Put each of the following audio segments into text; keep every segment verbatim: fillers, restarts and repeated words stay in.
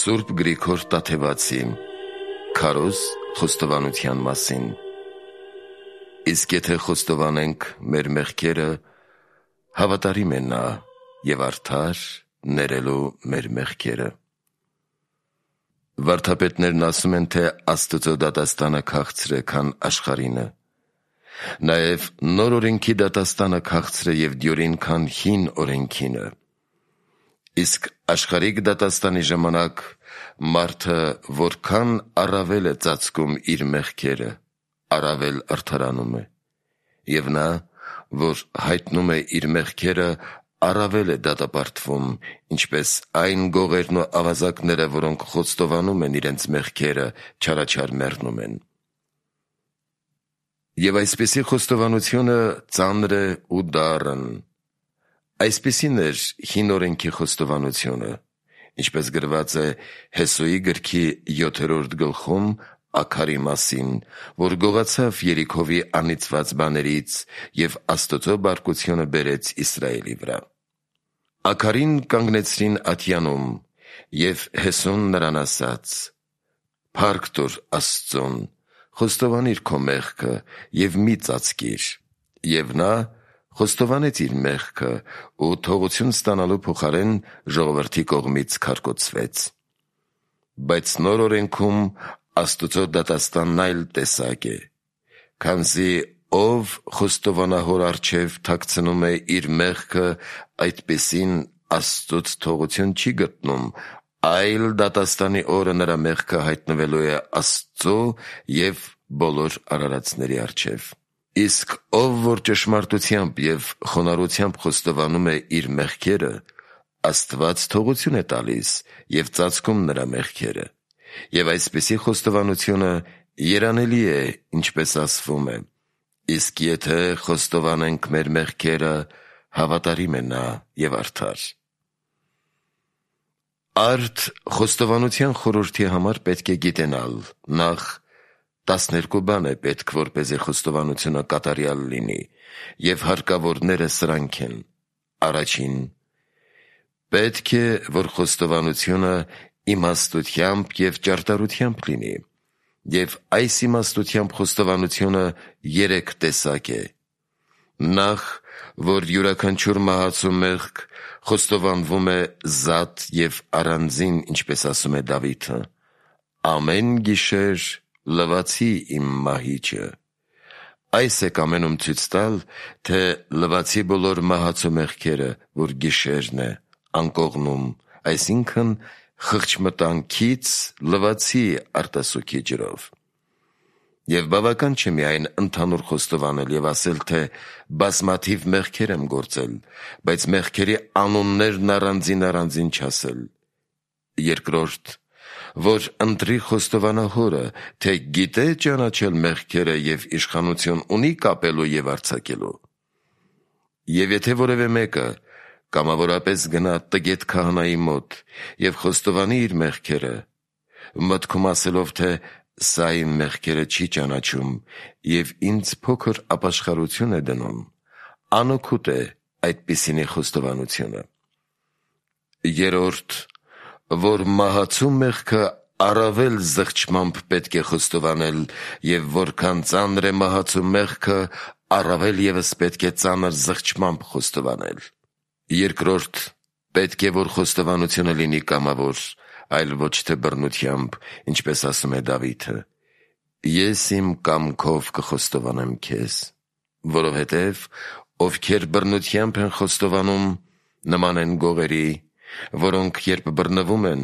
Սուրբ Գրիգոր Տաթևացի Քարոզ խոստովանության մասին։ Իսկ եթե խոստովանենք մեր մեղքերը, հավատարիմ է նա և արդար ներելու մեր մեղքերը։ Վարդապետներն ասում են, թե Աստծո դատաստանը քաղցր է, քան աշխարհինը։ Նաև նոր օրենքի դատաստանը քաղցր է և դյուրին, քան հին օրենքինը։ Իսկ աշխարհիկ դատաստանի ժամանակ մարդը որքան առավել է ծածկում իր մեղքերը, առավել արդարանում է, և նա, որ հայտնում է իր մեղքերը, առավել է դատապարտվում, ինչպես այն գողերն ու ավազակները, որոնք խոստովանում են իրենց մեղքերը, չարաչար մեռնում են։ Եվ այսպիսի խոստովանությունը ծանր է ու դառն։ Այսպիսին էր հին օրենքի խոստովանությունը, ինչպես գրված է Հեսուի գրքի յոթերորդ գլխում Աքարի մասին, որ գողացավ Երիքովի անիծված բաներից և Աստծո բարկությունը բերեց Իսրայելի վրա։ Աքարին կանգնեցրին ատյանում, և Հեսուն նրան ասաց. «Փառք տուր Աստծուն, խոստովանիր քո մեղքը և մի ծածկիր»։ Եվ նա խոստովանեց իր մեղքը ու թողություն ստանալու փոխարեն ժողովրդի կողմից քարկոծվեց։ Բայց նոր օրենքում Աստծո դատաստանն այլ տեսակ է, քանզի ով խոստովանա հոր առջև թաքցնում է իր մեղքը, այդպիսին Աստծուց թողություն չի գտնում, այլ դատաստանի օրը նրա մեղքը հայտնվելու է Աստծո և բոլոր արարածների առջև։ Իսկ ով որ ճշմարտությամբ և խոնարհությամբ խոստովանում է իր մեղքերը, Աստված թողություն է տալիս և ծածկում նրա մեղքերը։ Եվ այսպիսի խոստովանությունը երանելի է, ինչպես ասվում է. «Իսկ եթե խոստովանենք մեր մեղքերը, հավատարիմ է նա և արդար»։ Արդ խոստովանության խորհրդի համար պետք է գիտենալ. Նախ, տասներկու բան է պետք, որպեսզի խոստովանությունը կատարյալ լինի, և հարկավորները սրանք են. Առաջին, պետք է, որ խոստովանությունը իմաստությամբ և ճարտարությամբ լինի, և այս իմաստությամբ խոստովանությունը երեք տեսակ է. Նախ, որ յուրաքանչյուր մահացու մեղք խոստովանվում է զատ և առանձին, ինչպես ասում է Դավիթը. «Ամեն գիշեր լվացի իմ մահիճը»։ Այս է կամենում ցույց տալ, թե լվացի բոլոր մահացու մեղքերը, որ գիշերն է, անկողնում, այսինքն խղճմտանքից լվացի արտասուքի ջրով։ Եվ բավական չէ միայն ընդհանուր խոստովանել և ասել, թե բազմաթիվ մեղքեր եմ գործել, բայց մեղքերի անուններն առանձին-առանձին չասել։ Երկրորդ, որ ընտրի խոստովանա հորը, թե գիտե ճանաչել մեղքերը և իշխանություն ունի կապելու և արձակելու։ Եվ եթե որևէ մեկը կամավորապես գնա տգետ քահանայի մոտ և խոստովանի իր մեղքերը, մտքում ասելով, թե «Սա իմ մեղքերը չի ճանաչում և ինձ փոքր ապաշխարություն է դնում», անօգուտ է այդպիսինի խոստովանությունը։ Երրորդ, որ մահացու մեղքը առավել զղջմամբ պետք է խոստովանել, և որքան ծանր է մահացու մեղքը, առավել ևս պետք է ծանր զղջմամբ խոստովանել։ Երկրորդ, պետք է, որ խոստովանությունը լինի կամավոր, այլ ոչ թե բռնությամբ, ինչպես ասում է Դավիթը. «Ես իմ կամքով կխոստովանեմ քեզ», որովհետև ովքեր բռնությամբ են խոստովանում, նման են գողերի, որոնք երբ բռնվում են,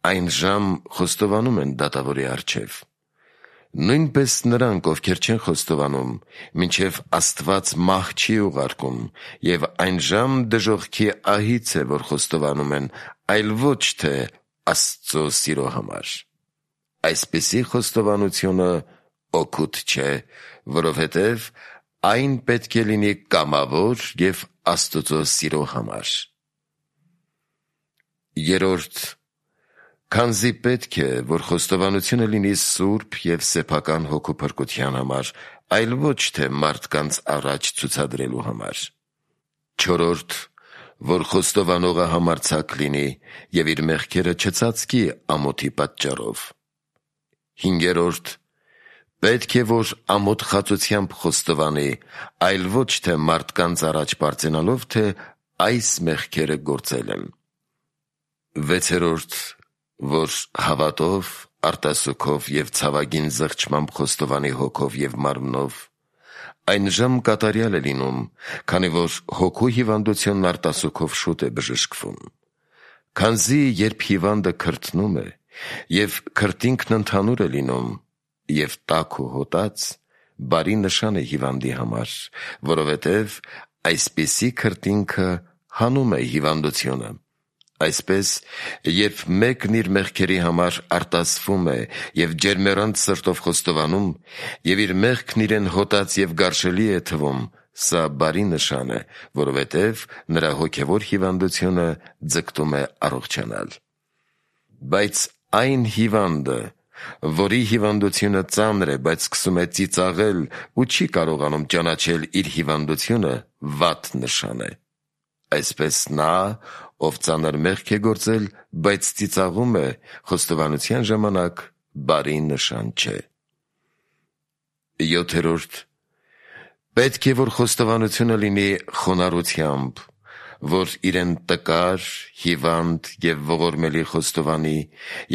այն ժամ խոստովանում են դատավորի առջև։ Նույնպես նրանք, ովքեր չեն խոստովանում, մինչև Աստված մահ չի ուղարկում, և այն ժամ դժոխքի ահից է, որ խոստովանում են, այլ ոչ թե Աստծո սիրո համար։ Այսպիսի խոստովանությունը օգուտ չէ, որովհետև այն պետք է լինի կամավոր և Աստծո սիրո համար։ Երրորդ, քանզի պետք է, որ խոստովանությունը լինի սուրբ և սեփական հոգու փրկության համար, այլ ոչ թե մարդկանց առաջ ցուցադրելու համար։ Չորրորդ, որ խոստովանողը համարձակ լինի և իր մեղքերը չծածկի ամոթի պատճառով։ Հինգերորդ. պետք է, որ ամոթ խածությամբ խոստովանի, այլ ոչ թե մարդկանց առաջ պարծենալով, թե այս մեղքերը գործել եմ։ Վեցերորդ. որ հավատով, արտասուքով և ցավագին զղջմամբ խոստովանի հոգով և մարմնով, այն ժամ կատարյալ է լինում, քանի որ հոգու հիվանդությունն արտասուքով շուտ է բժշկվում։ Քանզի երբ հիվանդը քրթնում է, և քրտինքն ընդհանուր է լինում, և տաք ու հոտած, բարի նշան է հիվանդի համար, որովհետև այսպիսի քրտինքը հանում է հիվանդությունը։ Այսպես, երբ մեկն իր մեղքերի համար արտասվում է և ջերմեռանդ սրտով խոստովանում, և իր մեղքն իրեն հոտած և գարշելի է թվում, սա բարի նշան է, որովհետև նրա հոգևոր հիվանդությունը ձգտում է առողջանալ։ Բայց այն հիվանդը, որի հիվանդությունը ծանր է, բայց սկսում է ծիծաղել ու չի կարողանում ճանաչել իր հիվանդությունը, վատ նշան է։ Այսպես նա, ով ծանր մեղք է գործել, բայց ծիծաղում է, խոստովանության ժամանակ բարի նշան չէ։ Յոթերորդ. պետք է, որ խոստովանությունը լինի խոնարհությամբ, որ իրեն տկար, հիվանդ և ողորմելի խոստովանի,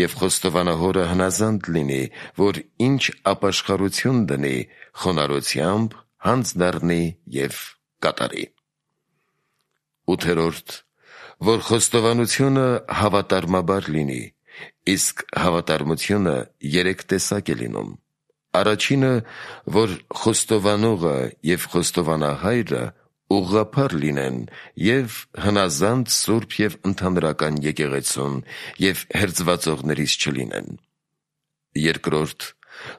և խոստովանահորը հնազանդ լինի, որ ինչ ապաշխարություն դնի, խոնարհությամբ հանձնառնի և կատարի։ Ութերորդ. որ խոստովանությունը հավատարմաբար լինի, իսկ հավատարմությունը երեք տեսակ է լինում։ Առաջինը, որ խոստովանողը և խոստովանահայրը ուղղափառ լինեն և հնազանդ, սուրբ և ընդհանրական եկեղեցուն և հերձվածողներից չլինեն։ Երկրորդ,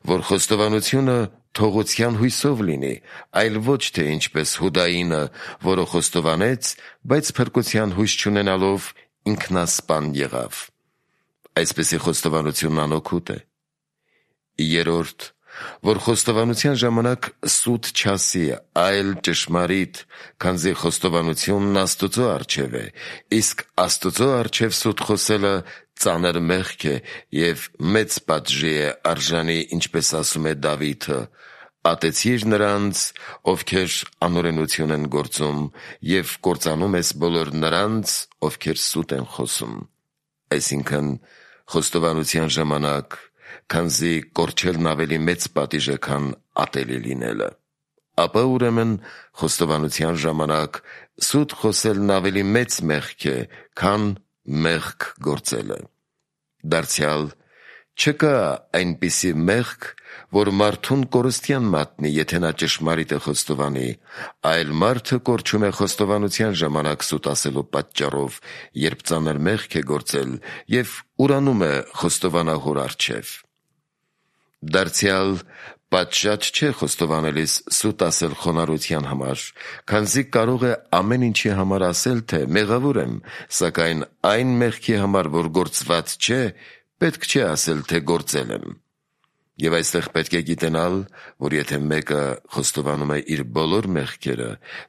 որ խոստովանությունը թողության հույսով լինի, այլ ոչ թե ինչպես Հուդայինը, որը խոստովանեց, բայց փրկության հույս չունենալով ինքնասպան եղավ։ Այսպիսի խոստովանությունն անօգուտ է։ Երրորդ, որ խոստովանության ժամանակ սուտ չասի, այլ ճշմարիտ, քանզի խոստովանությունն Աստծո առջև է, իսկ Աստծո առջև սուտ խոսելը ծանր մեղք է և մեծ պատժի է արժանի, ինչպես ասում է Դավիթը. «Ատեցիր նրանց, ովքեր անօրենություն են գործում, և կործանում ես բոլոր նրանց, ովքեր սուտ են խոսում»։ Այսինքն, խոստովանության ժամանակ, քանզի կորչելն ավելի մեծ պատիժ է, քան ատելի լինելը, ապա ուրեմն խոստովանության ժամանակ սուտ խոսելն ավելի մեծ մեղք է, քան մեղք գործելը։ Դարձյալ, չկա այնպիսի մեղք, որ մարդուն կորստյան մատնի, եթե նա ճշմարիտ է խոստովանի, այլ մարդը կորչում է խոստովանության ժամանակ սուտ ասելու պատճառով, երբ ծանր մեղք է գործել և ուրանում է խոստովանահոր առջև։ Դարձյալ, պատշաճ չէ խոստովանելիս սուտ ասել խոնարհության համար, քանզի կարող է ամեն ինչի համար ասել, թե մեղավոր եմ, սակայն այն մեղքի համար, որ գործված չէ, պետք չէ ասել, թե գործել եմ։ Եվ այստեղ պետք է գիտենալ, որ եթե մեկը խոստովանում է իր բոլոր մեղքերը,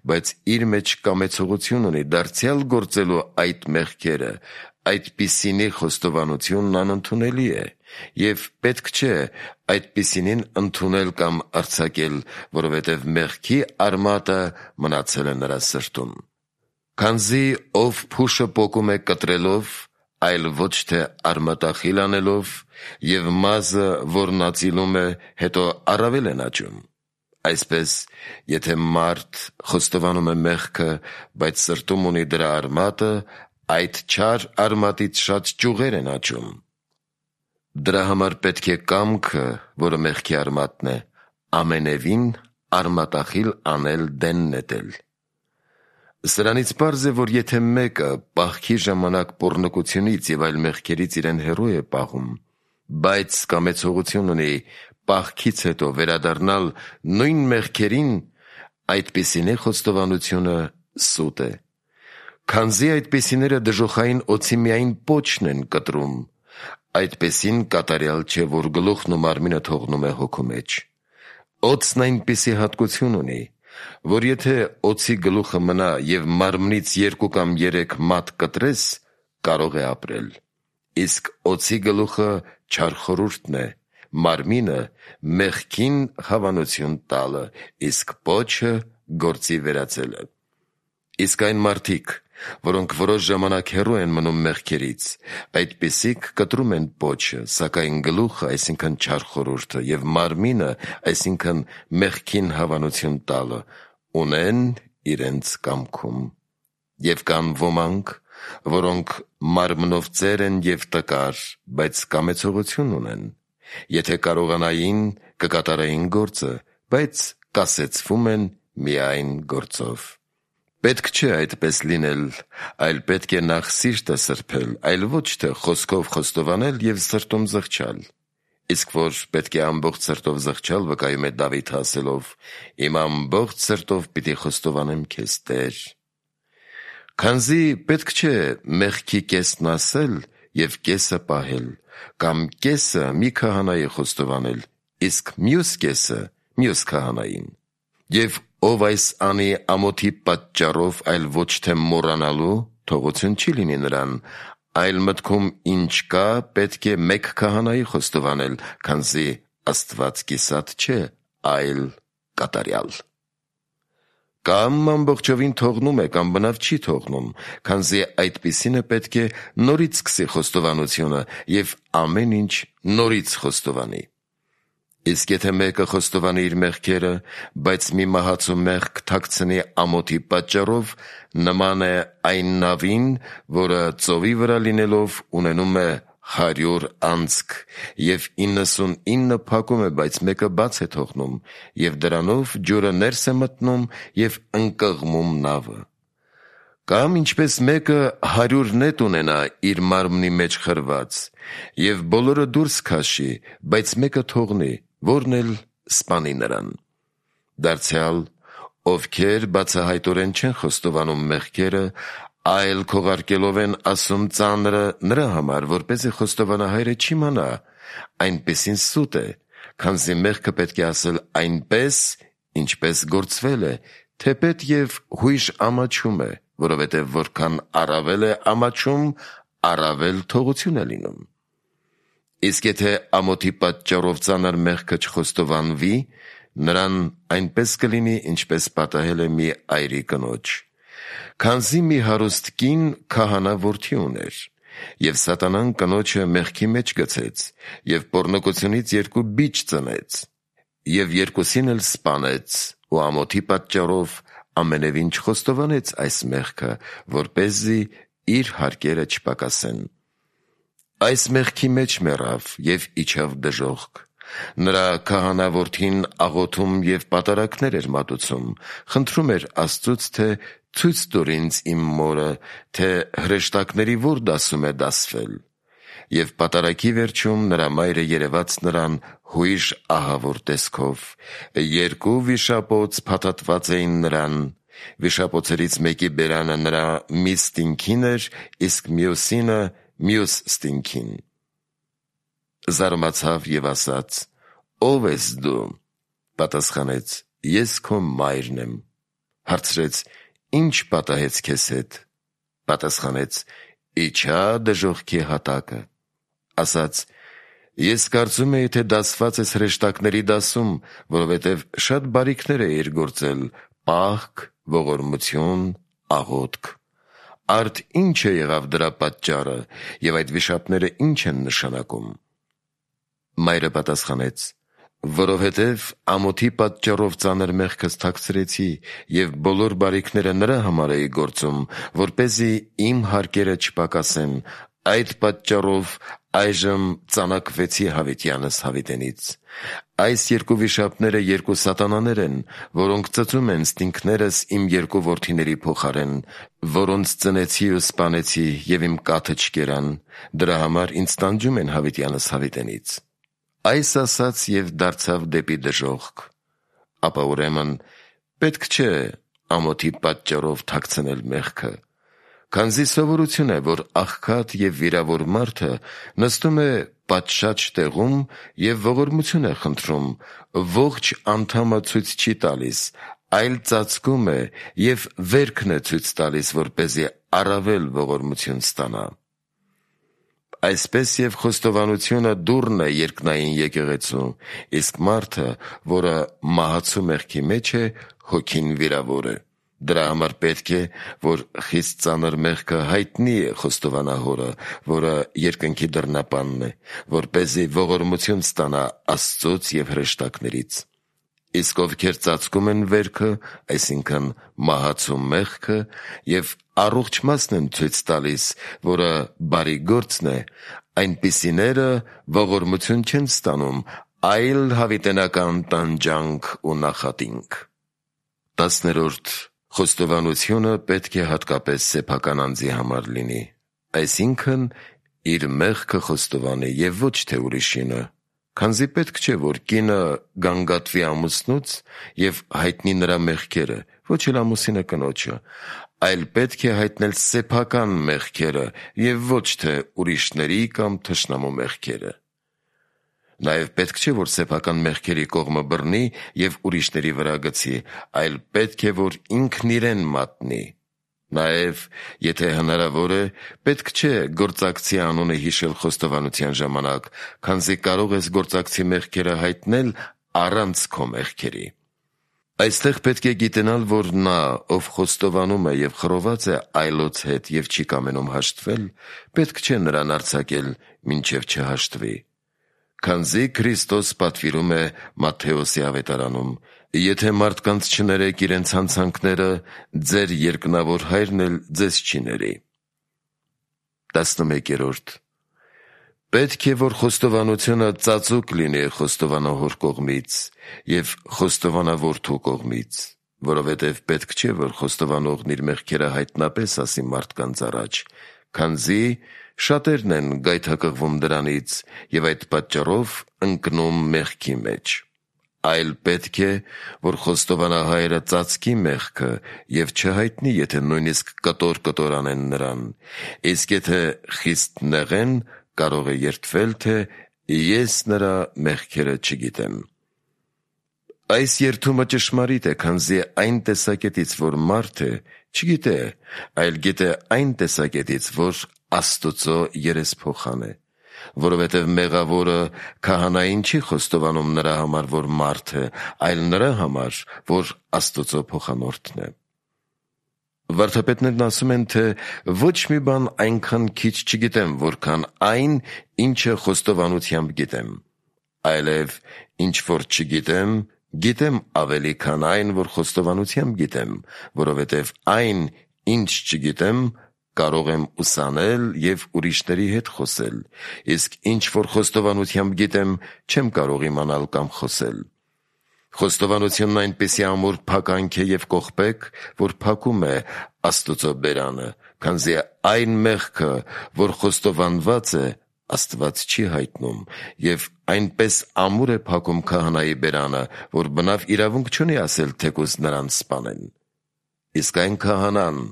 բայց իր մեջ կամեցողություն ունի դարձյալ գործելու այդ մեղքերը, այդպիսինի խոստովանությունն անընդունելի է, և պետք չէ այդպիսինին ընդունել կամ արձակել, որովհետև մեղքի արմատը մնացել է նրա սրտում։ Քանզի ով փուշը պոկում է կտրելով, այլ ոչ թե արմատախիլ անելով, և մազը, որն ածիլում է, հետո առավել են աճում։ Այսպես, եթե մարդ խոստովանում է մեղքը, բայց սրտում ունի դրա արմատը, այդ չար արմատից շատ ճյուղեր են աճում։ Դրա համար պետք է կամքը, որը մեղքի արմատն է, ամենևին արմատախիլ անել դեն նետել։ Սրանից պարզ է, որ եթե մեկը պահքի ժամանակ պոռնկությունից և այլ մեղքերից իրեն հեռու է պահում, բայց կամեցողություն ունի պահքից հետո վերադառնալ նույն մեղքերին, այդպիսինի խոստովանությունը սուտ է։ Քանզի այդպիսիները դժոխային օձի միայն պոչն են կտրում, այդպիսին կատարյալ չէ, որ գլուխն ու մարմինը թողնում է հոգու մեջ։ Օձն այնպիսի հատկություն ունի, որ եթե օձի գլուխը մնա և մարմնից երկու կամ երեք մատ կտրես, կարող է ապրել, իսկ օձի գլուխը չար խորհուրդն է, մարմինը մեղքին հավանություն տալը, իսկ պոչը գործի վերածելը։ Իսկ այն մարդիկ, որոնք որոշ ժամանակ հեռու են մնում մեղքերից, այդպիսիք կտրում են պոչը, սակայն գլուխը, այսինքն չար խորհուրդը, և մարմինը, այսինքն մեղքին հավանություն տալը, ունեն իրենց կամքում։ Եվ կան ոմանք, որոնք մարմնով ծեր են և տկար, բայց կամեցողություն ունեն. եթե կարողանային, կկատարեին գործը, բայց կասեցվում են միայն գործով։ Պետք չէ այդպես լինել, այլ պետք է նախ սիրտը սրբել, այլ ոչ թե խոսքով խոստովանել և սրտում զղջալ։ Իսկ որ պետք է ամբողջ սրտով զղջալ, վկայում է Դավիթը ասելով. «Իմ ամբողջ սրտով պիտի խոստովանեմ քեզ, Տեր»։ Քանզի պետք չէ մեղքի կեսն ասել և կեսը պահել, կամ կեսը մի քահանայի խոստովանել, իսկ մյուս կեսը մյուս քահանային։ Եվ ով այս անի ամոթի պատճառով, այլ ոչ թե մոռանալու, թողություն չի լինի նրան, այլ մտքում ինչ կա, պետք է մեկ քահանայի խոստովանել, քանզի Աստված կիսատ չէ, այլ կատարյալ։ Կամ ամբողջովին թողնում է, կամ բնավ չի թողնում, քանզի այդպիսինը պետք է նորից սկսի խոստովանությունը և ամեն ինչ նորից խոստովանի։ Իսկ եթե մեկը խոստովանի իր մեղքերը, բայց մի մահացու մեղք թաքցնի ամոթի պատճառով, նման է այն նավին, որը ծովի վրա լինելով ունենում է հարյուր անցք, և իննսունինը փակում է, բայց մեկը բաց է թողնում, և դրանով ջուրը ներս է մտնում և ընկղմում նավը։ Կամ ինչպես մեկը հարյուր նետ ունենա իր մարմնի մեջ խրված, և բոլորը դուրս քաշի, բայց մեկը թողնի, որն էլ սպանի նրան։ Դարձյալ, ովքեր բացահայտորեն չեն խոստովանում մեղքերը, այլ քողարկելով են ասում ծանրը նրա համար, որպեսզի խոստովանահայրը չիմանա, այնպիսին սուտ է, քանզի մեղքը պետք է ասել այնպես, ինչպես գործվել է, թեպետ և հույժ ամաչում է, որովհետև որքան առավել է ամաչում, առավել թողություն է լինում։ Իսկ եթե ամոթի պատճառով ծանր մեղքը չխոստովանվի, նրան այնպես կլինի, ինչպես պատահել է մի այրի կնոջ։ Քանզի մի հարուստ կին քահանա որդի ուներ, և սատանան կնոջը մեղքի մեջ գցեց, և պոռնկությունից երկու բիճ ծնեց, և երկուսին էլ սպանեց, ու ամոթի պատճառով ամենևին չխոստովանեց այս մեղքը, որպեսզի իր հարկերը չպակասեն։ Այս մեղքի մեջ մեռավ և իջավ դժոխք։ Նրա քահանա որդին աղոթում և պատարակներ էր մատուցում, խնդրում էր Աստծուց, թե ցույց տուր ինձ իմ մորը, թե հրեշտակների որ դասում է դասվել։ Եվ պատարակի վերջում նրա մայրը երևաց նրան հույժ ահավոր տեսքով։ Երկու վիշապոց փաթաթված էին նրան, վիշապոցերից մեկի բերանը նրա մի ստինքին էր, իսկ մյուսինը մյուս ստինքին։ Զարմացավ և ասաց. «Ո՞վ ես դու»։ Պատասխանեց. «Ես քո մայրն եմ»։ Հարցրեց. «Ի՞նչ պատահեց քեզ հետ»։ Պատասխանեց. «Իջա դժոխքի հատակը»։ Ասաց. «Ես կարծում էի, թե դասված ես հրեշտակների դասում, որովհետև շատ բարիքներ էիր գործել, պահք, ողորմություն, աղոթք։ Արդ ի՞նչ է եղավ դրա պատճառը, և այդ վիշապները ի՞նչ են նշանակում»։ Մայրը պատասխանեց. «Որովհետև ամոթի պատճառով ծանր մեղքս թաքցրեցի և բոլոր բարիքները նրա համար էի գործում, որպեսզի իմ հարկերը չպակասեն, այդ պատճառով այժմ ծանակվեցի հավիտյանս հավիտենից։ Այս երկու վիշապները երկու սատանաներ են, որոնք ծծում են ստինքներս իմ երկու որդիների փոխարեն, որոնց ծնեցի ու սպանեցի, և իմ կաթը չկերան, դրա համար ինձ տանջում են հավիտյանս հավիտենից»։ Այս ասաց և դարձավ դեպի դժոխք։ Ապա ուրեմն պետք չէ ամոթի պատճառով թաքցնել մեղքը, քանզի սովորություն է, որ աղքատ և վիրավոր մարդը նստում է պատշաճ տեղում և ողորմություն է խնդրում, ողջ անդամը ցույց չի տալիս, այլ ծածկում է և վերքն է ցույց տալիս, որպեսզի առավել ողորմություն ստանա։ Այսպես և խոստովանությունը դուռն է երկնային եկեղեցու, իսկ մարդը, որը մահացու մեղքի մեջ է, հոգին վիրավոր է։ Դրա համար պետք է, որ խիստ ծանր մեղքը հայտնի է խոստովանահորը, որը երկնքի դռնապանն է, որպեսզի ողորմություն ստանա Աստծուց և հրեշտակներից։ Իսկ ովքեր ծածկում են վերքը, այսինքն մահացու մեղքը, և առողջ մասն են ցույց տալիս, որը բարի գործն է, այնպիսիները ողորմություն չեն ստանում, այլ հավիտենական տանջանք ու նախատինք։ Տասներորդ. Խոստովանությունը պետք է հատկապես սեփական անձի համար լինի, այսինքն իր մեղքը խոստովանի և ոչ թե ուրիշինը, քանզի պետք չէ, որ կինը գանգատվի ամուսնուց և հայտնի նրա մեղքերը, ոչ էլ ամուսինը կնոջը, այլ պետք է հայտնել սեփական մեղքերը և ոչ թե ուրիշների կամ թշնամու մեղքերը։ Նաև պետք չէ, որ սեփական մեղքերի կողմը բռնի և ուրիշների վրա գցի, այլ պետք է, որ ինքն իրեն մատնի։ Նաև, եթե հնարավոր է, պետք չէ գործակցի անունը հիշել խոստովանության ժամանակ, քանզի կարող ես գործակցի մեղքերը հայտնել առանց քո մեղքերի։ Այստեղ պետք է գիտենալ, որ նա, ով խոստովանում է և խռոված է այլոց հետ և չի կամենում հաշտվել, պետք չէ նրան արձակել, մինչև չհաշտվի։ Քանզի Քրիստոս պատվիրում է Մատթեոսի ավետարանում. «Եթե մարդկանց չներեք իրենց հանցանքները, ձեր երկնավոր հայրն էլ ձեզ չի ների»։ Տասնմեկերորդ. Պետք է, որ խոստովանությունը ծածուկ լինի խոստովանահոր կողմից և խոստովանավորթու կողմից, որովհետև պետք չէ, որ խոստովանողն իր մեղքերը հայտնապես ասի մարդկանց առաջ, քանզի շատերն են գայթակղվում դրանից և այդ պատճառով ընկնում մեղքի մեջ։ Այլ պետք է, որ խոստովանահայրը ծածկի մեղքը և չհայտնի, եթե նույնիսկ կտոր-կտոր անեն նրան, իսկ եթե խիստ նեղեն, կարող է երդվել, թե «ես նրա մեղքերը չգիտեմ»։ Այս երդումը ճշմարիտ է, քանզի այն տեսակետից, որ մարդ է, չգիտե, այլ գիտե այն տեսակետից, որ Աստուծո երեսփոխան է, որովհետև մեղավորը քահանային չի խոստովանում նրա համար, որ մարդ է, այլ նրա համար, որ Աստուծո փոխանորդն է։ Վարդապետներն ասում են, թե ոչ մի բան այնքան քիչ չգիտեմ, որքան այն, ինչը խոստովանությամբ գիտեմ, այլև ինչ որ չգիտեմ, գիտեմ ավելի, քան այն, որ խոստովանությամբ գիտեմ, որովհետև այն, ինչ չգիտեմ, կարող եմ ուսանել և ուրիշների հետ խոսել, իսկ ինչ որ խոստովանությամբ գիտեմ, չեմ կարող իմանալ կամ խոսել։ Խոստովանությունն այնպիսի ամուր փականք է և կողպեք, որ փակում է Աստուծո բերանը, քանզի այն մեղքը, որ խոստովանված է, Աստված չի հայտնում, և այնպես ամուր է փակում քահանայի բերանը, որ բնավ իրավունք չունի ասել, թեկուզ նրան սպանեն։ Իսկ այն քահանան,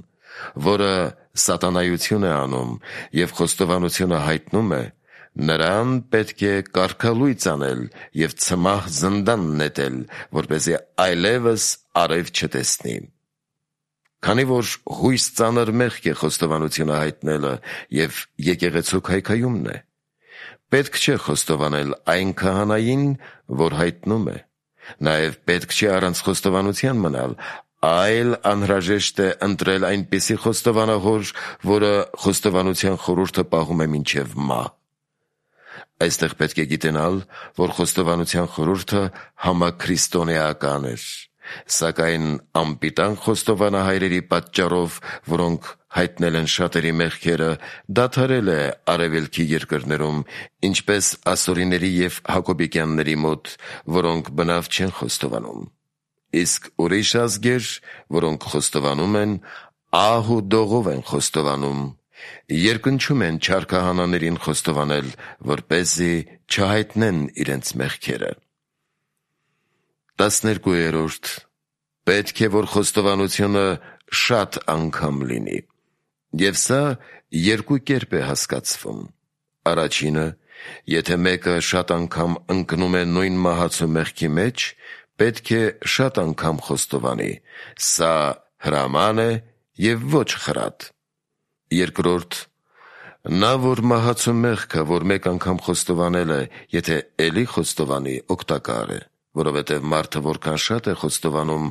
որը սատանայություն է անում և խոստովանությունը հայտնում է, նրան պետք է կարգալույծ անել և ցմահ զնդան նետել, որպեսզի այլևս արև չտեսնի։ Քանի որ հույս ծանր մեղք է խոստովանությունը հայտնելը և եկեղեցու քայքայումն է, պետք չէ խոստովանել այն քահանային, որ հայտնում է։ Նաև պետք չէ առանց խոստովանության մնալ, այլ անհրաժեշտ է ընտրել այնպիսի խոստովանահոր, որը խոստովանության խորհուրդը պահում է մինչև մահ։ Այստեղ պետք է գիտենալ, որ խոստովանության խորհուրդը համաքրիստոնեական էր, սակայն անպիտան խոստովանահայրերի պատճառով, որոնք հայտնել են շատերի մեղքերը, դադարել է արևելքի երկրներում, ինչպես ասորիների և հակոբիկյանների մոտ, որոնք բնավ չեն խոստովանում։ Իսկ ուրիշ ազգեր, որոնք խոստովանում են, ահ ու դողով են խոստովանում, երկնչում են չար քահանաներին խոստովանել, որպեսզի չհայտնեն իրենց մեղքերը։ Տասներկուերորդ. Պետք է, որ խոստովանությունը շատ անգամ լինի, և սա երկու կերպ է հասկացվում։ Առաջինը, եթե մեկը շատ անգամ ընկնում է նույն մահացու մեղքի մեջ, պետք է շատ անգամ խոստովանի. սա հրաման է և ոչ խրատ։ Երկրորդ, նա, որ մահացու մեղքը, որ մեկ անգամ խոստովանել է, եթե էլի խոստովանի, օգտակար է, որովհետև մարդը որքան շատ է խոստովանում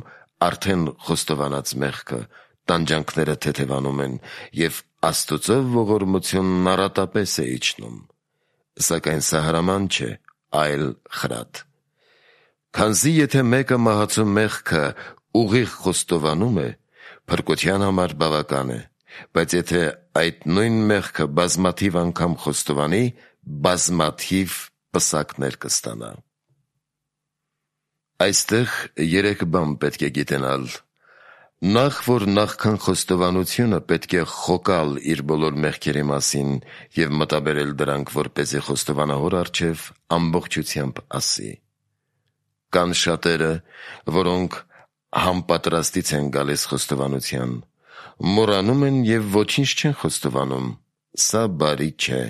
արդեն խոստովանած մեղքը, տանջանքները թեթևանում են և Աստծո ողորմությունն առատապես է իջնում։ Սակայն սա հրաման չէ, այլ խրատ։ Քանզի եթե մեկը մահացու մեղքը ուղիղ խոստովանում է, փրկության համար բավական է, բայց եթե այդ նույն մեղքը բազմաթիվ անգամ խոստովանի, բազմաթիվ պսակներ կստանա։ Այստեղ երեք բան պետք է գիտենալ։ Նախ, որ նախքան խոստովանությունը պետք է խոկալ իր բոլոր մեղքերի մասին և մտաբերել դրանք, որպեսզի խոստովանահոր առջև ամբողջությամբ ասի։ Կան շատերը, որոնք համապատրաստից են գալիս խոստովանության, մոռանում են և ոչինչ չեն խոստովանում։ Սա բարի չէ,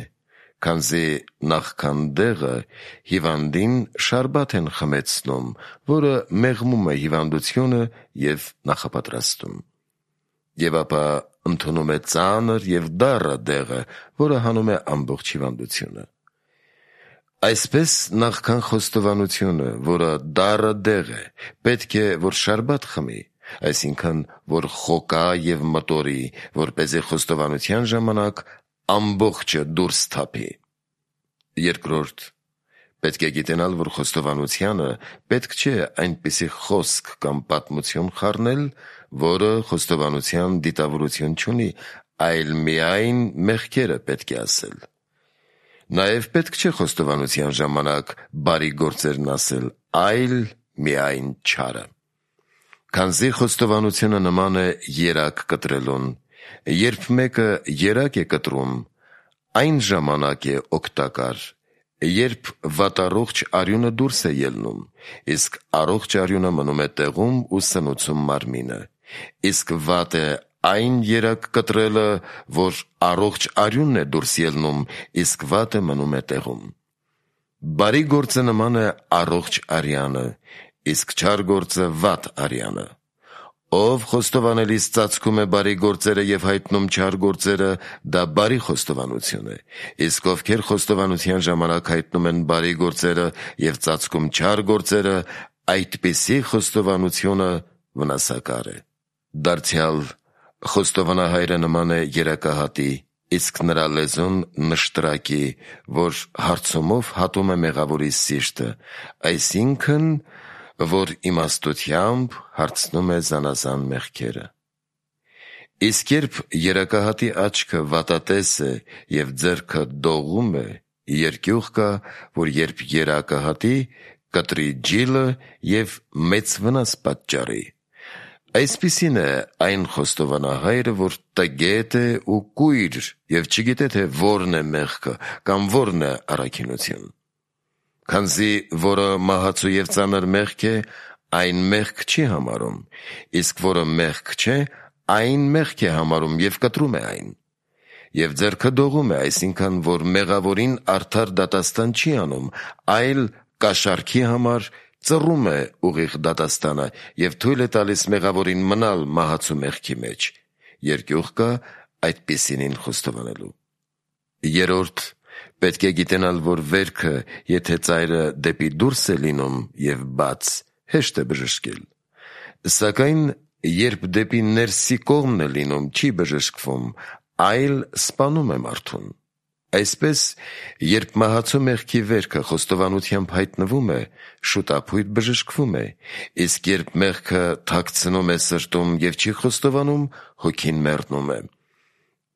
քանզի նախքան դեղը հիվանդին շարբաթ են խմեցնում, որը մեղմում է հիվանդությունը և նախապատրաստում։ Եվ ապա ընդունում է ծանր և դառը դեղը, որը հանում է ամբողջ հիվանդությունը։ Այսպես նախքան խոստովանությունը, որը դառը դեղ է, պետք է, որ շարբաթ խմի, այսինքն, որ խոկա և մտորի, որպեսզի խոստովանության ժամանակ ամբողջը դուրս թափի։ Երկրորդ, պետք է գիտենալ, որ խոստովանությանը պետք չէ այնպիսի խոսք կամ պատմություն խառնել, որը խոստովանության դիտավորություն չունի, այլ միայն մեղքերը պետք է ասել։ Նաև պետք չէ խոստովանության ժամանակ բարի գործերն ասել, այլ միայն չարը։ Քանզի խոստովանությունը նման է երակ կտրելուն, երբ մեկը երակ է կտրում, այն ժամանակ է օգտակար, երբ վատառողջ արյունը դուրս է ելնում, իսկ առողջ արյունը մնում է տեղում ու սնուցում մարմինը, իսկ վատ է այն երակ կտրելը, որ առողջ արյունն է դուրս ելնում, իսկ վատը մնում է տեղում։ Բարի գործը նման է առողջ արյանը, իսկ չար գործը վատ արյանը։ Ով խոստովանելիս ծածկում է բարի գործերը և հայտնում չար գործերը, դա բարի խոստովանություն է, իսկ ովքեր խոստովանության ժամանակ հայտնում են բարի գործերը և ծածկում չար գործերը, այդպիսի խոստովանությունը վնասակար է։ Դարձյալ խոստովանահայրը նման է երակահատի, իսկ նրա լեզուն նշտրակի, որ հարցումով հատում է մեղավորի սիրտը, այսինքն, որ իմաստությամբ հարցնում է զանազան մեղքերը։ Իսկ երբ երակահատի աչքը վատատես է և ձեռքը դողում է, երկյուղ կա, որ երբ երակահատի, կտրի ջիլը և մեծ վնաս պատճառի։ Այսպիսին է այն խոստովանահայրը, որ տգետ է ու կույր և չգիտե, թե որն է մեղքը կամ որն է առաքինություն։ Քանզի որը մահացու և ծանր մեղք է, այն մեղք չի համարում, իսկ որը մեղք չէ, այն մեղք է համարում և կտրում է այն։ Եվ ձեռքը դողում է, այսինքն, որ մեղավորին արդար դատաստան չի անում, այլ կաշառքի համար ծռում է ուղիղ դատաստանը և թույլ է տալիս մեղավորին մնալ մահացու մեղքի մեջ։ Երկյուղ կա այդպիսինին խոստովանելու։ Երորդ, պետք է գիտենալ, որ վերքը, եթե ծայրը դեպի դուրս է լինում և բաց, հեշտ է բժշկել։ Սակայն, երբ դեպի ներսի կողմն է լինում, չի բժշկվում, այլ սպանում է մարդուն։ Այսպես, երբ մահացու մեղքի վերքը խոստովանությամբ հայտնվում է, շուտափույթ բժշկվում է, իսկ երբ մեղքը թաքցնում է սրտում և չի խոստովանում, հոգին մեռնում է։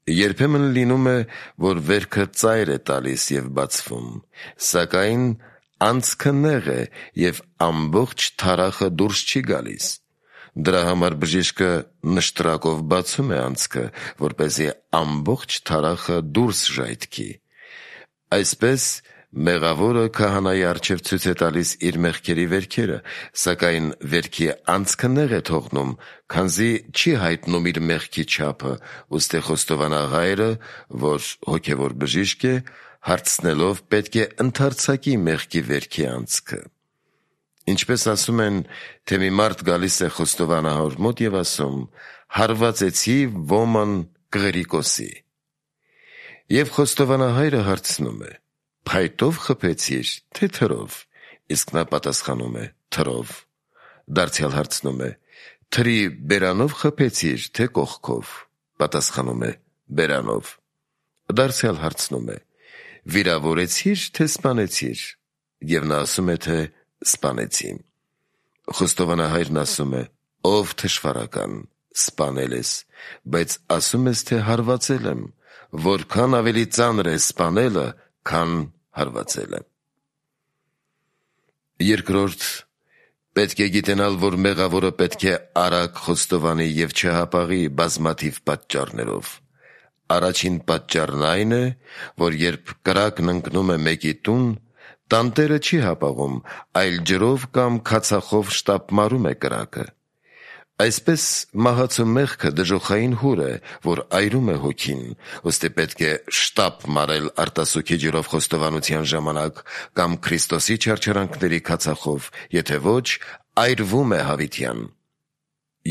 Երբեմն լինում է, որ վերքը ծայր է տալիս և բացվում, սակայն անցքը նեղ է և ամբողջ թարախը դուրս չի գալիս։ Դրա համար բժիշկը նշտրակով բացում է անցքը, որպեսզի ամբողջ թարախը դուրս ժայթքի։ Այսպես, մեղավորը քահանայի առջև ցույց է տալիս իր մեղքերի վերքերը, սակայն վերքի անցքը նեղ է թողնում, քանզի չի հայտնում իր մեղքի չափը, ուստի խոստովանահայրը, որ հոգևոր բժիշկ է, հարցնելով պետք է ընդարձակի մեղքի վերքի անցքը։ Ինչպես ասում են, թե մի մարդ գալիս է խոստովանահոր մոտ և ասում. «Հարվածեցի ոման կղերիկոսի»։ Եվ խոստովանահայրը հարցնում է. «Փայտով խփեցիր, թե թրով»։ Իսկ նա պատասխանում է. «Թրով»։ Դարձյալ հարցնում է. «Թրի բերանով խփեցիր, թե կողքով»։ Պատասխանում է. «Բերանով»։ Դարձյալ հարցնում է. «Վիրավորեցի՞ր, թե սպանեցիր»։ Եվ նա ասում է, թե սպանեցի։ Խոստովանահայրն ասում է. «Ով թշվառական, սպանել ես, բայց ասում ես, թե հարվածել եմ, որքան ավելի ծանր է սպանելը, քան հարվածելը»։ Երկրորդ, պետք է գիտենալ, որ մեղավորը պետք է արագ խոստովանի և չհապաղի բազմաթիվ պատճառներով։ Առաջին պատճառն այն է, որ երբ կրակն ընկնում է մեկի տուն, տանտերը չի հապաղում, այլ ջրով կամ քացախով շտապ մարում է կրակը։ Այսպես մահացու մեղքը դժոխային հուր է, որ այրում է հոգին, ուստի պետք է շտապ մարել արտասուքի ջրով խոստովանության ժամանակ կամ Քրիստոսի չարչարանքների քացախով, եթե ոչ, այրվում է հավիտյան։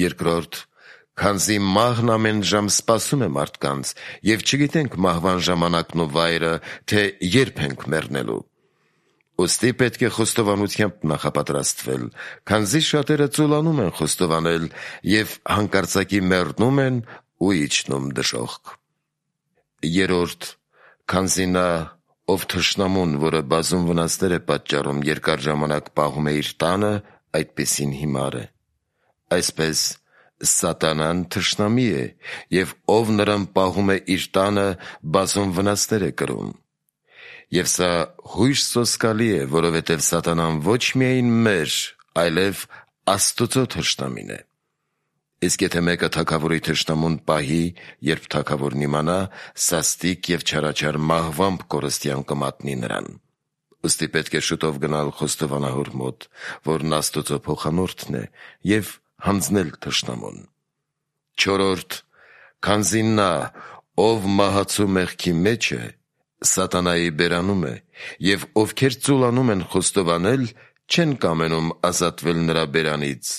Երկրորդ, քանզի մահն ամեն ժամ սպասում է մարդկանց, և չգիտենք մահվան ժամանակն ու վայրը, թե երբ ենք մեռնելու։ Ուստի պետք է խոստովանությամբ նախապատրաստվել, քանզի շատերը ծուլանում են խոստովանել և հանկարծակի մեռնում են ու իջնում դժոխք։ Երրորդ, քանզի նա, ով թշնամուն, որը բազում վնասներ է պատճառում, երկար ժամանակ պահում է իր տանը, այդպիսին հիմար է։ Այսպես Սատանան թշնամի է, և ով նրան պահում է իր տանը, բազում վնասներ է կրում։ Եվ սա հույժ սոսկալի է, որովհետև Սատանան ոչ միայն մեր, այլև Աստծո թշնամին է։ Իսկ եթե մեկը թագավորի թշնամուն պահի, երբ թագավորն իմանա, սաստիկ և չարաչար մահվամբ կորստյան կմատնի նրան։ Ուստի պետք է շուտով գնալ խոստովանահոր մոտ, որն Աստծո փոխանորդն է, և հանձնել թշնամուն։ Չորրորդ, քանզի նա, ով մահացու մեղքի մեջ է, Սատանայի բերանում է, և ովքեր ծուլանում են խոստովանել, չեն կամենում ազատվել նրա բերանից։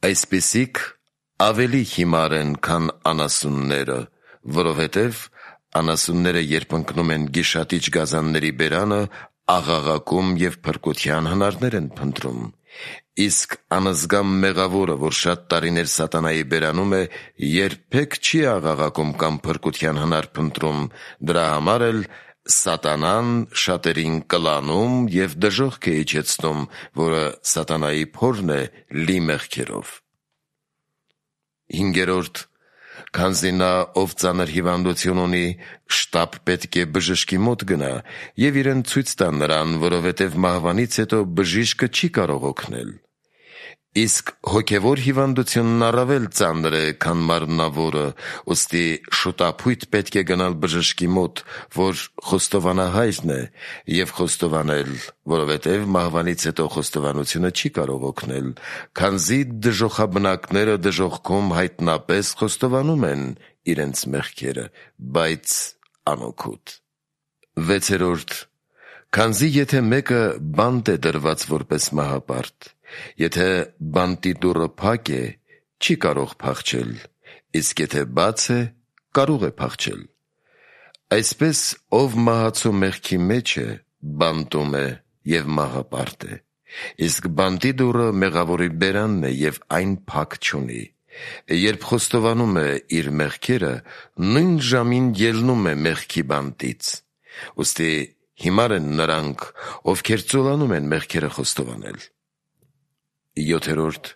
Այսպիսիք ավելի հիմար են, քան անասունները, որովհետև անասունները, երբ ընկնում են գիշատիչ գազանների բերանը, աղաղակում և փրկության հնարներ են փնտրում։ Իսկ անզգամ մեղավորը, որ շատ տարիներ Սատանայի բերանում է, երբեք չի աղաղակում կամ փրկության հնար փնտրում, դրա համար էլ Սատանան շատերին կլանում և դժոխք է իջեցնում, որը Սատանայի փորն է լի մեղքերով։ Հինգերորդ, քանզի նա, ով ծանր հիվանդություն ունի, շտապ պետք է բժշկի մոտ գնա և իրեն ցույց տա նրան, որովհետև մահվանից հետո բժիշկը չի կարող օգնել։ Իսկ հոգևոր հիվանդությունն առավել ծանր է, քան մարմնավորը, ուստի շուտափույթ պետք է գնալ բժշկի մոտ, որ խոստովանահայրն է, և խոստովանել, որովհետև մահվանից հետո խոստովանությունը չի կարող օգնել, քանզի դժոխաբնակները դժոխքում հայտնապես խոստովանում են իրենց մեղքերը, բայց անօգուտ։ Վեցերորդ, քանզի եթե մեկը բանտ է դրված որպես մահապարտ, եթե բանտի դուռը փակ է, չի կարող փախչել, իսկ եթե բաց է, կարող է փախչել։ Այսպես ով մահացու մեղքի մեջ է, բանտում է և մահապարտ է, իսկ բանտի դուռը մեղավորի բերանն է և այն փակ չունի։ Երբ խոստովանում է իր մեղքերը, նույն ժամին ելնում է մեղքի բանտից։ Ուստի հիմար են նրանք, ովքեր ծուլանում են մեղքերը խոստովանել։ Յոթերորդ,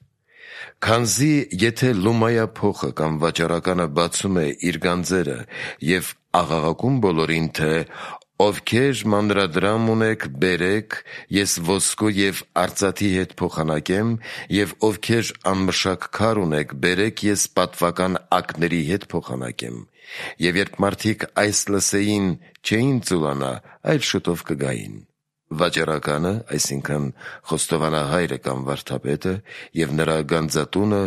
քանզի եթե լումայա փոխը կամ վաճառականը բացում է իր գանձերը և աղաղակում բոլորին, թե «Ովքեր մանրադրամ ունեք, բերեք, ես ոսկու և արծաթի հետ փոխանակեմ, և ովքեր անմշակ քար ունեք, բերեք, ես պատվական ակների հետ փոխանակեմ»։ Եվ երբ մարդիկ այս լսեին, չէին ծուլանա, այլ շուտով կգային։ Վաճառականը, այսինքն խոստովանահայրը կամ վարդապետը, և նրա գանձատունը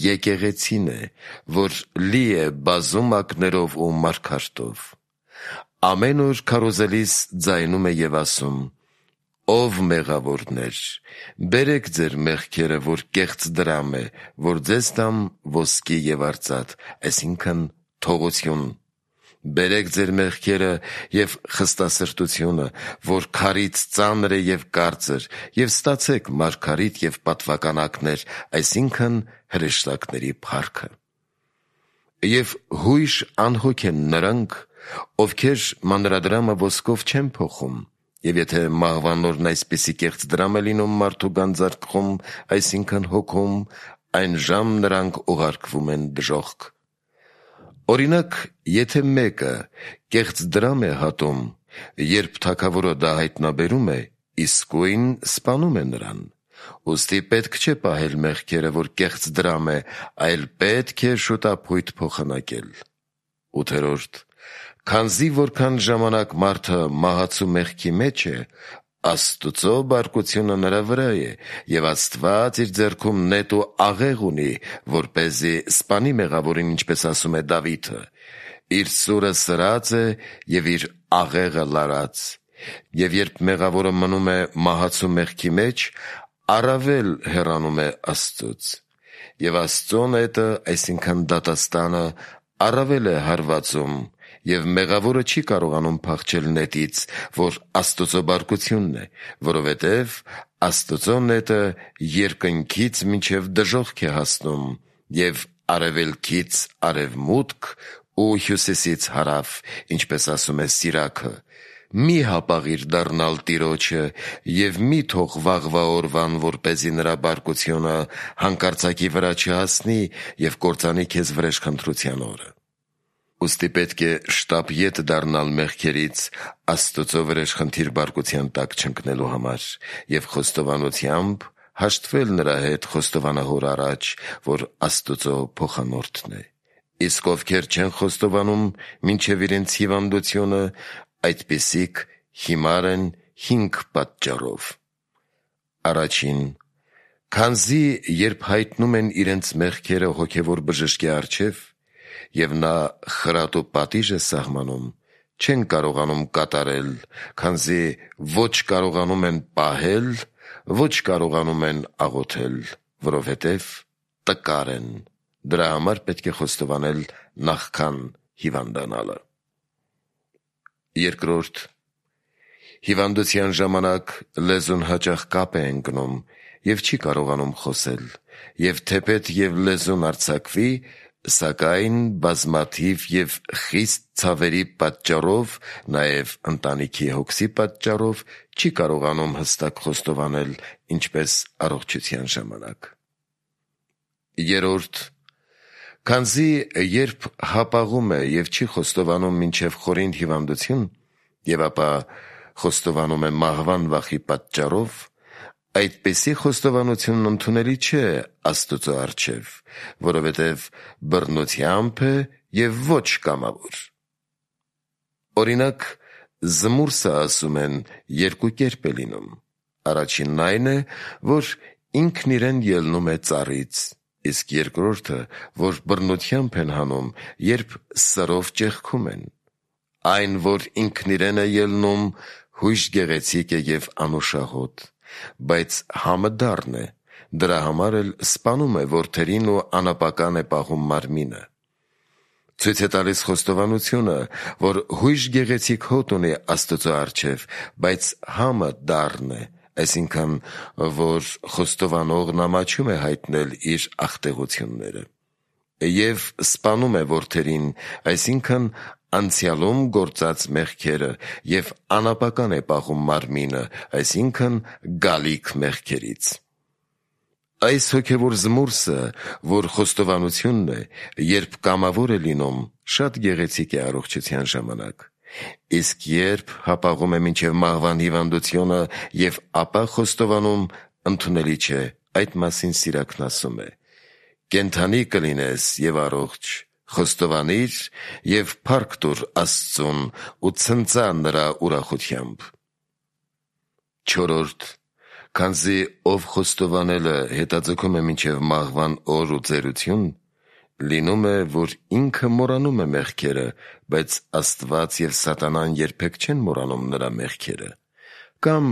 եկեղեցին է, որ լի է բազում ակներով ու մարգարտով։ Ամեն օր քարոզելիս ձայնում է և ասում. ով մեղավորներ, բերեք ձեր մեղքերը, որ կեղծ դրամ է, որ ձեզ տամ ոսկի և արծաթ, այսինքն թողություն. բերեք ձեր մեղքերը և խստասրտությունը, որ քարից ծանր է և կարծր, և ստացեք մարգարիտ և պատվականակներ, այսինքն հրեշտակների փառքը։ Եվ հույժ անհոգ են նրանք, ովքեր մանրադրամը ոսկով չեն փոխում, և եթե մահվան օրն այսպիսի կեղծ դրամ է լինում մարդու գանձարկղում, այսինքն հոգում, այն ժամ նրանք ուղարկվում են դժոխք։ Օրինակ, եթե մեկը կեղծ դրամ է հատում, երբ թագավորը դա հայտնաբերում է, իսկույն սպանում է նրան։ Ուստի պետք չէ պահել մեղքերը, որ կեղծ դրամ է, այլ պետք է շուտափույթ փոխանակել։ ութերորդ. Քանզի որքան ժամանակ մարդը մահացու մեղքի մեջ է, Աստուծո բարկությունը նրա վրա է, և Աստված իր ձեռքում նետ ու աղեղ ունի, որպեսզի սպանի մեղավորին, ինչպես ասում է Դավիթը. իր սուրը սրած է և իր աղեղը լարած։ Եվ երբ մեղավորը մնում է մահացու մեղքի մեջ, առավել հեռանում է Աստծուց։ Եվ Աստծո նետը, այսինքն դատաստանը, առավել է հարվածում, և մեղավորը չի կարողանում փախչել նետից, որ Աստուծո բարկությունն է, որովհետև Աստուծո նետը երկնքից մինչև դժոխք է հասնում, և արևելքից արևմուտք ու հյուսիսից հարավ, ինչպես ասում է Սիրաքը. մի հապաղիր դառնալ Տիրոջը և մի թող վաղվա օրվան, որպեսզի նրա բարկությունը հանկարծակի վրա չհասնի և կործանի քեզ վրեժխնդրության օրը։ Ուստի պետք է շտապ ետ դառնալ մեղքերից Աստուծո վրեժխնդիր բարկության տակ չընկնելու համար և խոստովանությամբ հաշտվել նրա հետ խոստովանահոր առաջ, որ Աստուծո փոխանորդն է։ Իսկ ովքեր չեն խոստովանում մինչև իրենց հիվանդությունը, այդպիսիք հիմար են հինգ պատճառով։ Առաջին. քանզի երբ հայտնում են իրենց մեղքերը հոգևոր բժշկի առջև, և նա խրատ ու պատիժ է սահմանում, չեն կարողանում կատարել, քանզի ոչ կարողանում են պահել, ոչ կարողանում են աղոթել, որովհետև տկար են։ Դրա համար պետք է խոստովանել նախքան հիվանդանալը։ Երկրորդ. հիվանդության ժամանակ լեզուն հաճախ կապ է ընկնում և չի կարողանում խոսել, և թեպետ և լեզուն արձակվի, սակայն բազմաթիվ և խիստ ցավերի պատճառով, նաև ընտանիքի հոգսի պատճառով չի կարողանում հստակ խոստովանել, ինչպես առողջության ժամանակ։ Երրորդ. քանզի երբ հապաղում է և չի խոստովանում մինչև խորին հիվանդություն, և ապա խոստովանում է մահվան վախի պատճառով, այդպիսի խոստովանությունն ընդունելի չէ Աստուծո առջև, որովհետև բռնությամբ է և ոչ կամավոր։ Օրինակ, զմուրսը, ասում են, երկու կերպ է լինում. առաջինն այն է, որ ինքն իրեն ելնում է ծառից, իսկ երկրորդը, որ բռնությամբ են հանում, երբ սրով ճեղքում են։ Այն, որ ինքն իրեն է ելնում, հույժ գեղեցիկ է և անուշահոտ, բայց համը դառն է, դրա համար էլ սպանում է որդերին ու անապական է պահում մարմինը։ Ցույց է տալիս խոստովանությունը, որ հույժ գեղեցիկ հոտ ունի Աստուծո առջև, բայց համը դառն է, այսինքն, որ խոստովանողն ամաչում է հայտնել իր ախտեղությունները, և սպանում է որդերին, այսինքն անցյալում գործած մեղքերը, և անապական է պահում մարմինը, այսինքն գալիք մեղքերից։ Այս հոգևոր զմուրսը, որ խոստովանությունն է, երբ կամավոր է լինում, շատ գեղեցիկ է առողջության ժամանակ, իսկ երբ հապաղում է մինչև մահվան հիվանդությունը և ապա խոստովանում, ընդունելի չէ, այդ մասին Սիրաքն ասում է. կենդանի կլինես և առողջ, խոստովանիր և փառք տուր Աստծուն ու ցնծա նրա ուրախությամբ։ Չորրորդ. քանզի ով խոստովանելը հետաձգում է մինչև մահվան օր ու ծերություն, լինում է, որ ինքը մոռանում է մեղքերը, բայց Աստված և սատանան երբեք չեն մոռանում նրա մեղքերը, կամ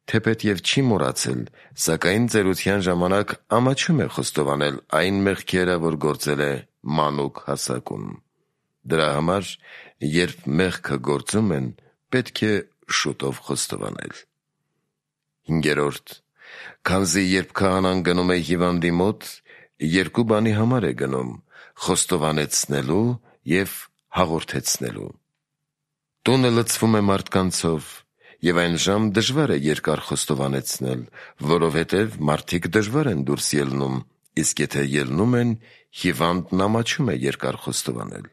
թեպետև չի մոռացել, սակայն ծերության ժամանակ ամաչում է խոստովանել այն մեղքերը, որ գործել է մանուկ հասակում։ Դրա համար, երբ մեղքը գործում են, պետք է շուտով խոստովանել։ Հինգերորդ. Քանզի երբ քահանան գնում է հիվանդի մոտ, երկու բանի համար է գնում՝ խոստովանեցնելու և հաղորդեցնելու։ Տունը լցվում է մարդկանցով, և այն ժամ դժվար է երկար խոստովանեցնել, որովհետև մարդիկ դժվար են դուրս ելնում, իսկ եթե ելնում են, հիվանդն ամաչում է երկար խոստովանել։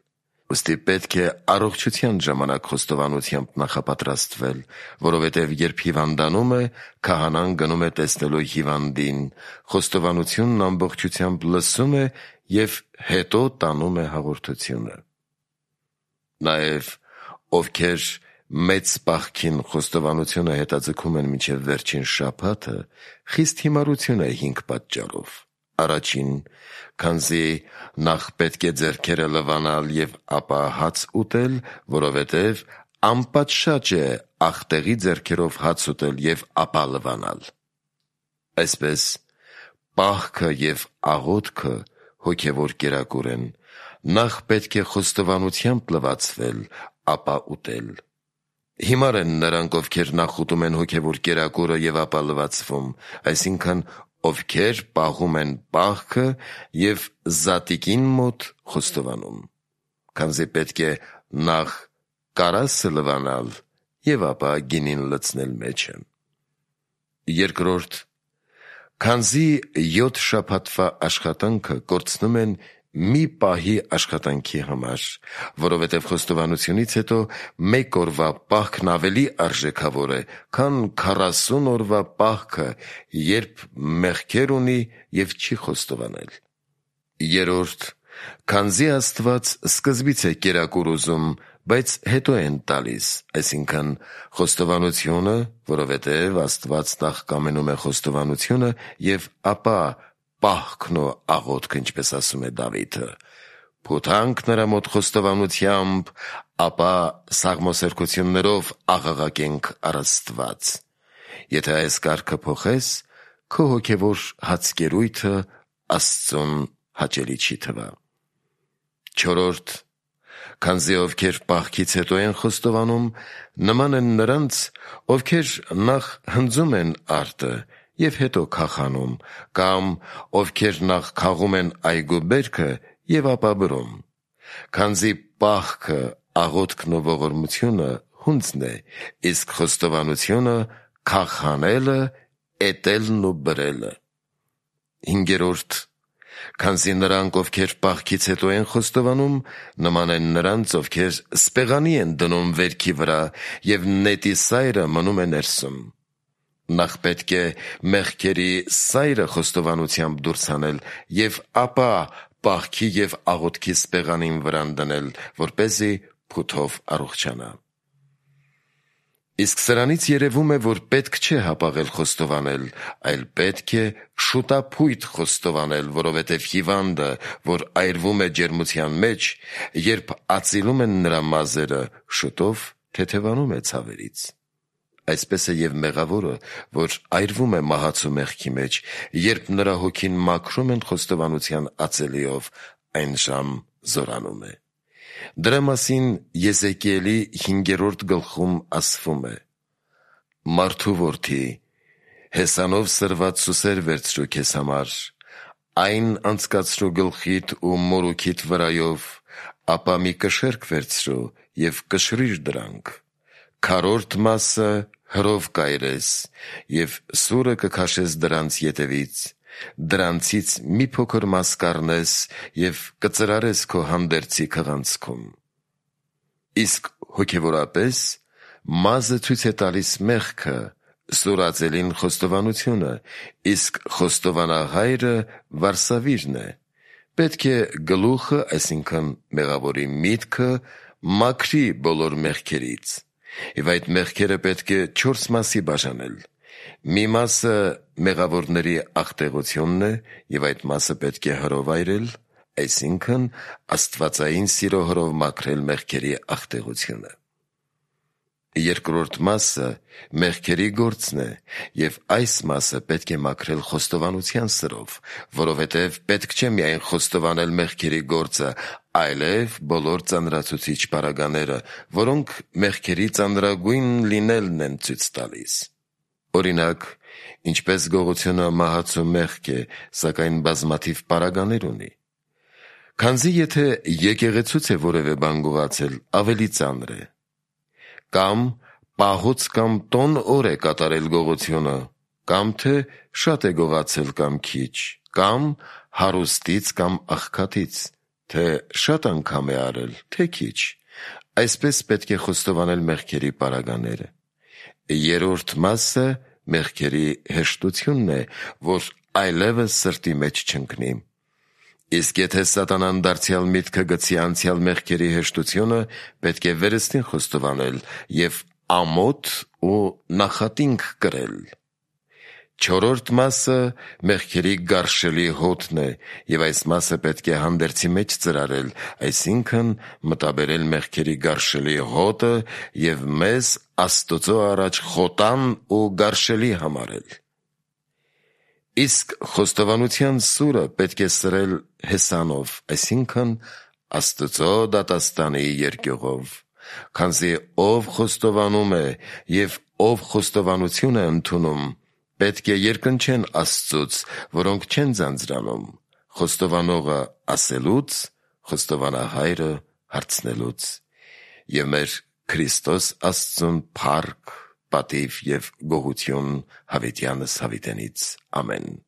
Ուստի պետք է առողջության ժամանակ խոստովանությամբ նախապատրաստվել, որովհետև երբ հիվանդանում է, քահանան գնում է տեսնելու հիվանդին, խոստովանությունն ամբողջությամբ լսում է և հետո տանում է հաղորդությունը։ Նաև ովքեր մեծ պահքին խոստովանությունը հետաձգում են մինչև վերջին շաբաթը, խիստ հիմարություն է հինգ պատճառով։ Առաջին, քանզի նախ պետք է ձեռքերը լվանալ և ապա հաց ուտել, որովհետև անպատշաճ է ախտեղի ձեռքերով հաց ուտել և ապա լվանալ։ Այսպես, պահքը և աղոթքը հոգևոր կերակուր են, նախ պետք է խոստովանությամբ լվացվել, ապա ուտել։ Հիմար են նրանք, ովքեր նախ ուտում են հոգևոր կերակուրը և ապա լվացվում, այսինքն ովքեր պահում են պահքը և զատիկին մոտ խոստովանում, քանզի պետք է նախ կարասը լվանալ և ապա գինին լցնել մեջը։ Երկրորդ, քանզի յոթ շաբաթվա աշխատանքը կորցնում են մի պահի աշխատանքի համար, որովհետև խոստովանությունից հետո մեկ օրվա պահքն ավելի արժեքավոր է, քան քառասուն օրվա պահքը, երբ մեղքեր ունի և չի խոստովանել։ Երրորդ, քանզի Աստված սկզբից է կերակուր ուզում, բայց հետո են տալիս, այսինքն խոստովանությունը, որովհետև Աստված նախ կամենում է խոստովանությունը և ապա պահքն ու աղոթքը, ինչպես ասում է Դավիթը. «Փութանք նրա մոտ խոստովանությամբ, ապա սաղմոսերկություններով աղաղակենք առ Աստված»։ Եթե այս կարգը փոխես, քո հոգևոր հացկերույթը Աստծուն հաճելի չի թվա։ Չորրորդ, քանզի ովքեր պահքից հետո են խոստովանում, նման են նրանց, ովքեր նախ հնձում են արտը և հետո քախանում, կամ ովքեր նախ քաղում են այգու բերքը և ապա բրում։ Քանզի պահքը, աղոթքն ու ողորմությունը հունձն է, իսկ խոստովանությունը քաղհանելը, էտելն ու բրելը։ Հինգերորդ, քանզի նրանք, ովքեր պահքից հետո են խոստովանում, նման են նրանց, ովքեր սպեղանի են դնում վերքի վրա և նետի սայրը մնում է ներսում։ Նախ պետք է մեղքերի սայրը խոստովանությամբ դուրս հանել և ապա պահքի և աղոթքի սպեղանին վրան դնել, որպեսզի փութով առողջանա։ Իսկ սրանից երևում է, որ պետք չէ հապաղել խոստովանել, այլ պետք է շուտափույթ խոստովանել, որովհետև հիվանդը, որ այրվում է ջերմության մեջ, երբ ածիլում են նրա մազերը, շուտով թեթևանում է ցավերից։ Այսպես է և մեղավորը, որ այրվում է մահացու մեղքի մեջ, երբ նրա հոգին մաքրում են խոստովանության ածելիով, այն ժամ զորանում է։ Դրա մասին Եզեկիելի հինգերորդ գլխում ասվում է. «Մարդու որդի, հեսանով սրված սուսեր վերցրու քեզ համար, այն անցկացրու գլխիդ ու մորուքիդ վրայով, ապա մի կշեռք վերցրու և կշռիր դրանք, քառորդ մասը հրով կայրես և սուրը կքաշես դրանց ետևից, դրանցից մի փոքր մաս կառնես և կծրարես քո հանդերձի քղանցքում։ Իսկ հոգևորապես մազը ցույց է տալիս մեղքը, սուրածելին խոստովանությունը, իսկ խոստովանահայրը վարսավիրն է։ Պետք է գլուխը, այսինքն մեղավորի միտքը, մաքրի բոլոր մեղքերից, և այդ մեղքերը պետք է չորս մասի բաժանել։ Մի մասը մեղավորների ախտեղությունն է, և այդ մասը պետք է հրով այրել, այսինքն աստվածային սիրո հրով մաքրել մեղքերի ախտեղությունը։ Երկրորդ մասը մեղքերի գործն է, և այս մասը պետք է մաքրել խոստովանության սրով, որովհետև պետք չէ միայն խոստովանել մեղքերի գործը, այլև բոլոր ծանրացուցիչ պարագաները, որոնք մեղքերի ծանրագույն լինելն են ցույց տալիս։ Օրինակ, ինչպես գողությունը մահացու մեղք է, սակայն բազմաթիվ պարագաներ ունի։ Քանզի եթե եկեղեցուց է որևէ բան գողացել, ավելի ծանր է։ Կամ պահոց կամ տոն օր է կատարել գողությունը, կամ թե շատ է գողացել կամ քիչ, կամ հարուստից կամ աղքատից, թե շատ անգամ է արել, թե քիչ, այսպես պետք է խոստովանել մեղքերի պարագաները։ Երրորդ մասը մեղքերի հեշտությունն է, որ այլևս սրտի մեջ չընկնի։ Իսկ եթե սատանան դարձյալ միտքը գցի անցյալ մեղքերի հեշտությունը, պետք է վերստին խոստովանել և ամոթ ու նախատինք կրել։ Չորրորդ մասը մեղքերի գարշելի հոտն է, և այս մասը պետք է հանդերձի մեջ ծրարել, այսինքն մտաբերել մեղքերի գարշելի հոտը և մեզ Աստծո առաջ խոտան ու գարշելի համարել։ Իսկ խոստովանության սուրը պետք է սրել հեսանով, այսինքն Աստծո դատաստանի երկյուղով, քանզի ով խոստովանում է և ով խոստովանություն է ընդունում, պետք է երկնչեն Աստծուց, որոնք չեն ձանձրանում, խոստովանողը ասելուց, խոստովանահայրը հարցնելուց։ Եվ մեր Քրիստոս Աստծուն փառք, պատիվ և գոհություն հավիտյանս հավիտենից։ Ամեն։